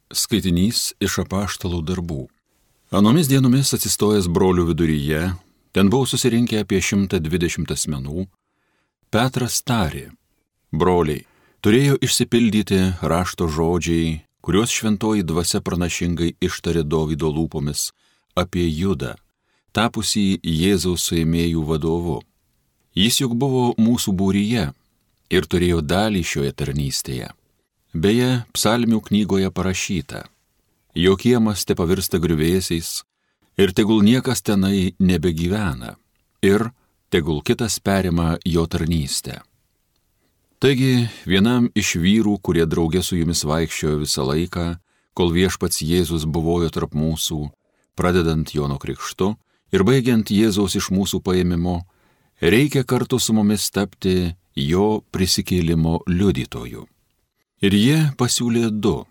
Skaitinys iš apaštalų darbų. Anomis dienomis atsistojęs brolių viduryje, ten buvo susirinkę apie 120 asmenų, Petras tarė: broliai, turėjo išsipildyti rašto žodžiai, kuriuos šventoji dvasia pranašingai ištarė Dovydo lūpomis apie Judą, tapusį Jėzaus suėmėjų vadovu. Jis juk buvo mūsų būryje ir turėjo dalį šioje tarnystėje. Beje, psalmių knygoje parašyta: jo kiemas te pavirsta griuvėsiais ir tegul niekas tenai nebegyvena ir tegul kitas perima jo tarnystę. Taigi, vienam iš vyrų, kurie drauge su jumis vaikščiojo visą laiką, kol viešpats Jėzus buvojo tarp mūsų, pradedant Jono krikštu ir baigiant Jėzaus iš mūsų paėmimo, reikia kartu su mumis tapti jo prisikėlimo liudytoju. Ir jie pasiūlė du: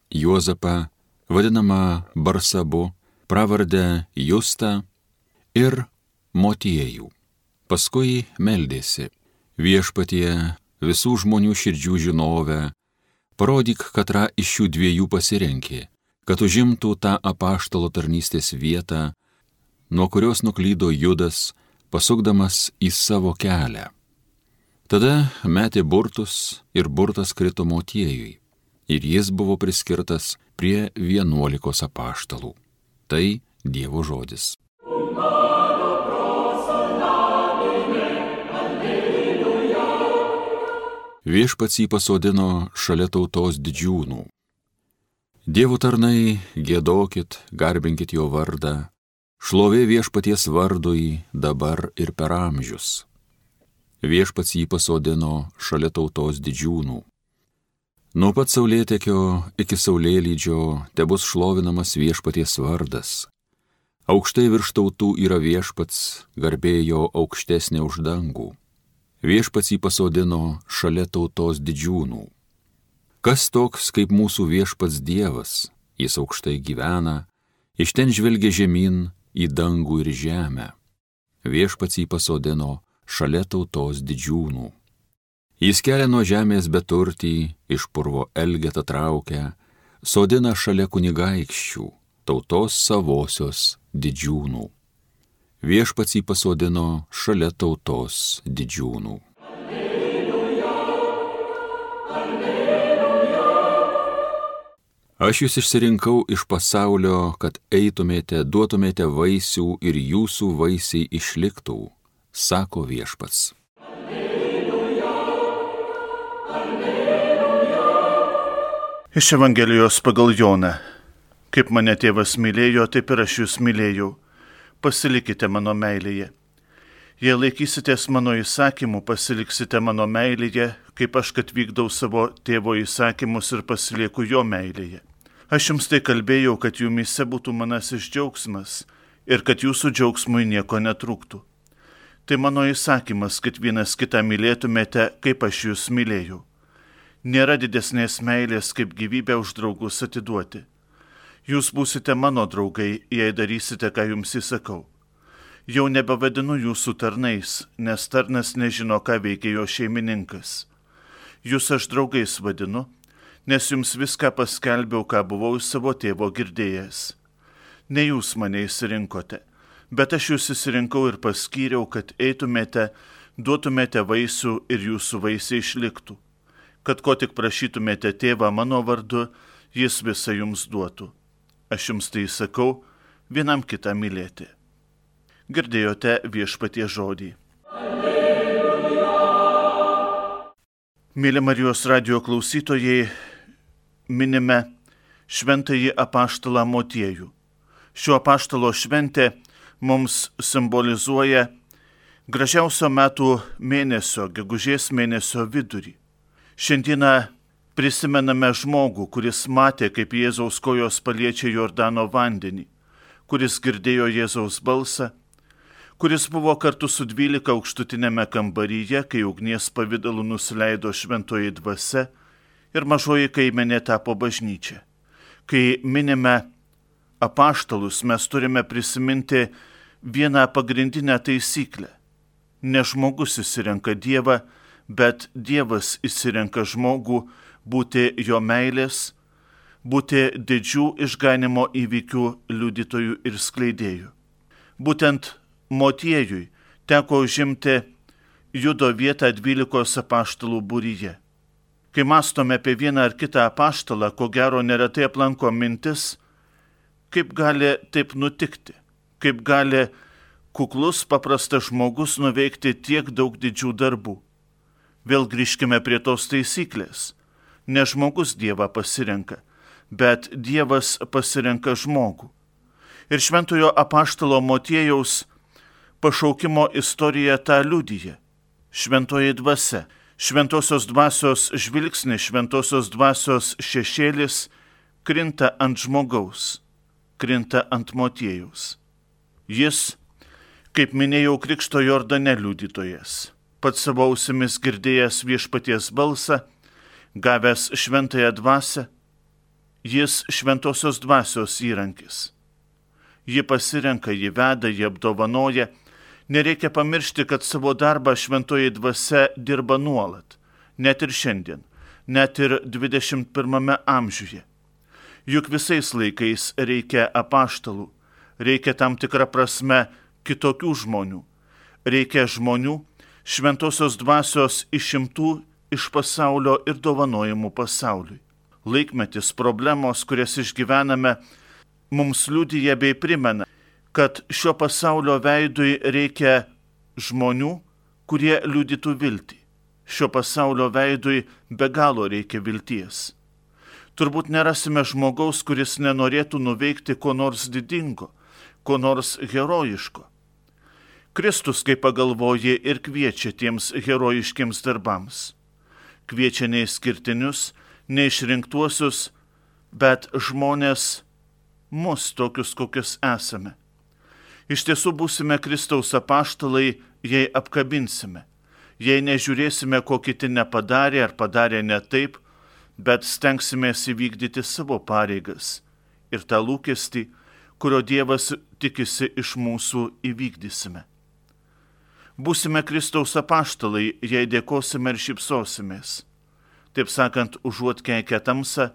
Juozapą, vadinamą Barsabu, pravardę Justą, ir Motiejų. Paskui meldėsi: viešpatie, visų žmonių širdžių žinovę, parodyk, katrą iš šių dviejų pasirenki, kad užimtų tą apaštalo tarnystės vietą, nuo kurios nuklydo Judas, pasukdamas į savo kelią. Tada metė burtus ir burtas krito Motiejui, ir jis buvo priskirtas prie 11 apaštalų. Tai Dievo žodis. Viešpats jį pasodino šalia tautos didžiūnų. Dievo tarnai, giedokit, garbinkit jo vardą, šlovė viešpaties vardui dabar ir per amžius. Viešpats jį pasodino šalia tautos didžiūnų. Nuo pat saulėtekio iki saulėlydžio tebus šlovinamas viešpaties vardas. Aukštai virš tautų yra viešpats, garbė jo aukštesnė už dangų. Viešpats jį pasodino šalia tautos didžiūnų. Kas toks kaip mūsų viešpats Dievas? Jis aukštai gyvena, iš ten žvelgia žemyn į dangų ir žemę. Viešpats jį pasodino šalia tautos didžiūnų. Jis kelia nuo žemės beturtį, iš purvo elgetą traukia, sodina šalia kunigaikščių, tautos savosios didžiūnų. Viešpats jį pasodino šalia tautos didžiūnų. Alleluja, alleluja. Aš jūs išsirinkau iš pasaulio, kad eitumėte, duotumėte vaisių ir jūsų vaisiai išliktų, sako viešpats. Alleluja, alleluja. Iš Evangelijos pagal Joną. Kaip mane tėvas mylėjo, taip ir aš jūs mylėjau. Pasilikite mano meilėje. Jei laikysitės mano įsakymų, pasiliksite mano meilėje, kaip aš kad vykdau savo tėvo įsakymus ir pasilieku jo meilėje. Aš jums tai kalbėjau, kad jumyse būtų manasis džiaugsmas ir kad jūsų džiaugsmui nieko netrūktų. Tai mano įsakymas, kad vienas kitą mylėtumėte, kaip aš jūs mylėjau. Nėra didesnės meilės, kaip gyvybę už draugus atiduoti. Jūs būsite mano draugai, jei darysite, ką jums įsakau. Jau nebevadinu jūsų tarnais, nes tarnas nežino, ką veikia jo šeimininkas. Jūs aš draugais vadinu, nes jums viską paskelbiau, ką buvau iš savo tėvo girdėjęs. Ne jūs mane išsirinkote, bet aš jūs išsirinkau ir paskyriau, kad eitumėte, duotumėte vaisių ir jūsų vaisiai išliktų. Kad ko tik prašytumėte tėvą mano vardu, jis visą jums duotų. Aš jums tai sakau, vienam kitą mylėti. Girdėjote viešpaties žodį. Alleluja. Mėly Marijos radijo klausytojai, minime šventąjį apaštalą Motiejų. Šio apaštalo šventė mums simbolizuoja gražiausio metų mėnesio, gegužės mėnesio vidurį. Šiandieną prisimename žmogų, kuris matė, kaip Jėzaus kojos paliečia Jordano vandenį, kuris girdėjo Jėzaus balsą, kuris buvo kartu su 12 aukštutinėme kambaryje, kai ugnies pavidalu nusileido šventoji dvasia ir mažoji kaimenė tapo bažnyčia. Kai minime apaštalus, mes turime prisiminti vieną pagrindinę taisyklę. Ne žmogus išsirenka Dievą, bet Dievas išsirenka žmogų būti jo meilės, būti didžių išganimo įvykių liudytojų ir skleidėjų. Būtent Motiejui teko užimti Judo vietą 12 apaštalų būryje. Kai mąstome apie vieną ar kitą apaštalą, ko gero neretai aplanko mintis, kaip gali taip nutikti, kaip gali kuklus paprastas žmogus nuveikti tiek daug didžių darbų. Vėl grįžkime prie tos taisyklės. Ne žmogus Dievą pasirenka, bet Dievas pasirenka žmogų. Ir šventojo apaštalo Motiejaus pašaukimo istorija tą liudija. Šventoji dvasia, šventosios dvasios žvilgsnis, šventosios dvasios šešėlis krinta ant žmogaus, krinta ant Motiejaus. Jis, kaip minėjau, Krikšto Jordane liudytojas, pats savo ausimis girdėjęs viešpaties balsą, gavęs šventąją dvasią, jis šventosios dvasios įrankis. Ji pasirenka, ji veda, ji apdovanoja. Nereikia pamiršti, kad savo darbą šventoji dvasia dirba nuolat, net ir šiandien, net ir 21 amžiuje. Juk visais laikais reikia apaštalų, reikia tam tikrą prasme kitokių žmonių, reikia žmonių šventosios dvasios išimtų iš pasaulio ir dovanojimų pasauliui. Laikmetis, problemos, kurias išgyvename, mums liudija bei primena, kad šio pasaulio veidui reikia žmonių, kurie liudytų viltį. Šio pasaulio veidui be galo reikia vilties. Turbūt nerasime žmogaus, kuris nenorėtų nuveikti ko nors didingo, ko nors herojiško. Kristus, kai pagalvoja, ir kviečia tiems herojiškiams darbams. Kviečia neišskirtinius, neišrinktuosius, bet žmonės mus tokius, kokius esame. Iš tiesų būsime Kristaus apaštalai, jei apkabinsime, jei nežiūrėsime, ko kiti nepadarė ar padarė ne taip, bet stengsimės įvykdyti savo pareigas ir tą lūkestį, kurio Dievas tikisi iš mūsų, įvykdysime. Būsime Kristaus apaštalai, jei dėkosime ir šypsosimės. Taip sakant, užuot keikę tamsą,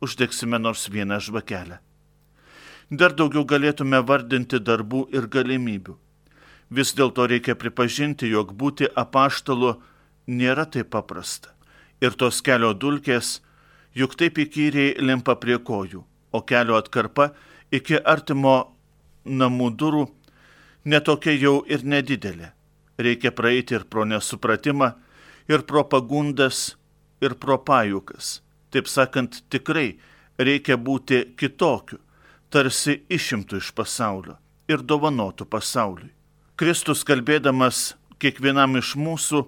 uždegsime nors vieną žvakelę. Dar daugiau galėtume vardinti darbų ir galimybių. Vis dėlto reikia pripažinti, jog būti apaštalu nėra taip paprasta. Ir tos kelio dulkės juk taip įkyriai limpa prie kojų, o kelio atkarpa iki artimo namų durų netokia jau ir nedidelė. Reikia praeiti ir pro nesupratimą, ir pro pagundas, ir pro pajukas. Taip sakant, tikrai reikia būti kitokiu, tarsi išimtų iš pasaulio ir dovanotų pasauliui. Kristus, kalbėdamas kiekvienam iš mūsų,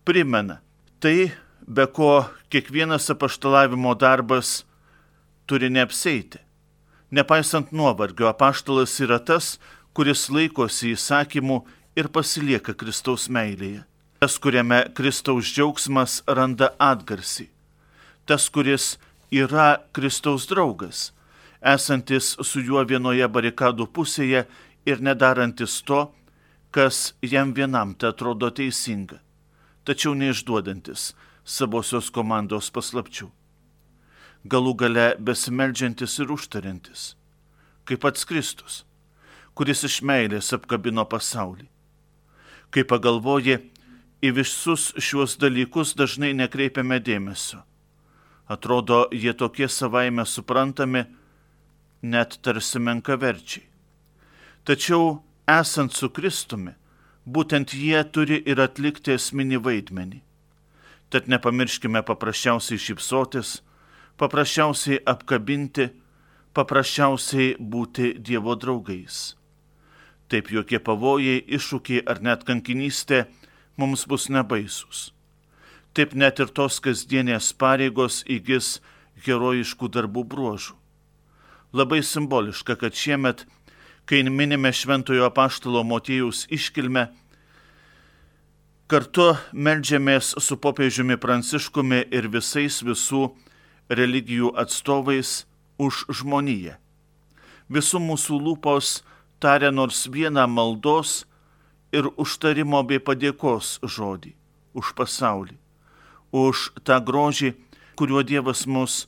primena tai, be ko kiekvienas apaštalavimo darbas turi neapseiti. Nepaisant nuovargio, apaštalas yra tas, kuris laikosi įsakymų ir pasilieka Kristaus meilėje. Tas, kuriame Kristaus džiaugsmas randa atgarsį. Tas, kuris yra Kristaus draugas, esantis su juo vienoje barikadų pusėje ir nedarantis to, kas jam vienam te atrodo teisinga, tačiau neišduodantis savosios komandos paslapčių. Galų gale besimeldžiantis ir užtariantis, kaip pats Kristus, kuris iš meilės apkabino pasaulį. Kai pagalvoji, į visus šiuos dalykus dažnai nekreipiame dėmesio. Atrodo, jie tokie savaime suprantami, net tarsi menkaverčiai. Tačiau, esant su Kristumi, būtent jie turi ir atlikti esminį vaidmenį. Tad nepamirškime paprasčiausiai šypsotis, paprasčiausiai apkabinti, paprasčiausiai būti Dievo draugais. Taip jokie pavojai, iššūkiai ar net kankinystė mums bus nebaisus. Taip net ir tos kasdienės pareigos įgis herojiškų darbų bruožų. Labai simboliška, kad šiemet, kai minime šventojo apaštalo Motiejaus iškilmę, kartu meldžiamės su popiežiumi Pranciškumi ir visais visų religijų atstovais už žmoniją. Visų mūsų lūpos taria nors vieną maldos ir užtarimo bei padėkos žodį už pasaulį, už tą grožį, kuriuo Dievas mus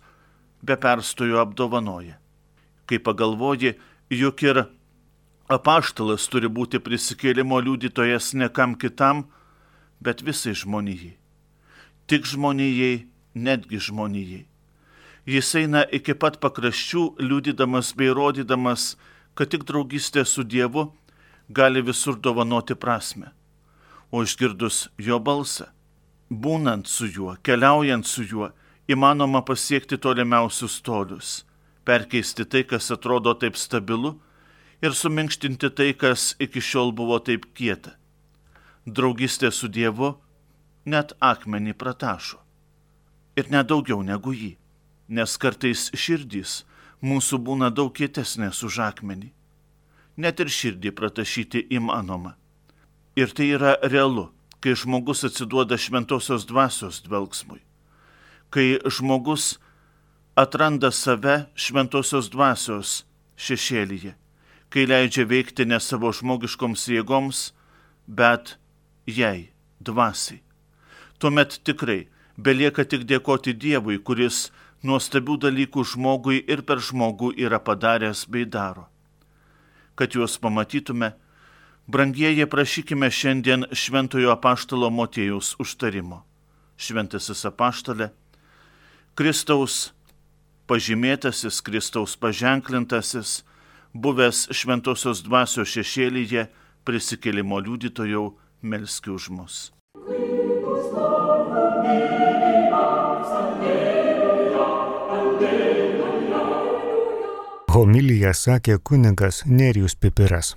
be perstojo apdovanoja. Kai pagalvoji, juk ir apaštalas turi būti prisikėlimo liudytojas ne kam kitam, bet visai žmonijai. Tik žmonijai, netgi žmonijai. Jis eina iki pat pakraščių, liudydamas bei rodydamas, kad tik draugystė su Dievu gali visur dovanoti prasmę. O išgirdus jo balsą, būnant su juo, keliaujant su juo, įmanoma pasiekti tolimiausius tolius, perkeisti tai, kas atrodo taip stabilu, ir suminkštinti tai, kas iki šiol buvo taip kieta. Draugystė su Dievu net akmenį pratašo. Ir nedaugiau negu jį, nes kartais širdys mūsų būna daug kietesnės už akmenį. Net ir širdį pratašyti įmanoma. Ir tai yra realu, kai žmogus atsiduoda šventosios dvasios dvelksmui. Kai žmogus atranda save šventosios dvasios šešėlyje, kai leidžia veikti ne savo žmogiškoms jėgoms, bet jai, dvasiai. Tuomet tikrai belieka tik dėkoti Dievui, kuris nuostabių dalykų žmogui ir per žmogų yra padaręs bei daro. Kad juos pamatytume, brangieji, prašykime šiandien šventojo apaštalo Motiejaus užtarimo. Šventasis apaštale, Kristaus pažymėtasis, Kristaus paženklintasis, buvęs šventosios dvasios šešėlyje, prisikėlimo liudytojau, melski už mus. Homiliją sakė kunigas Nerijus Pipiras.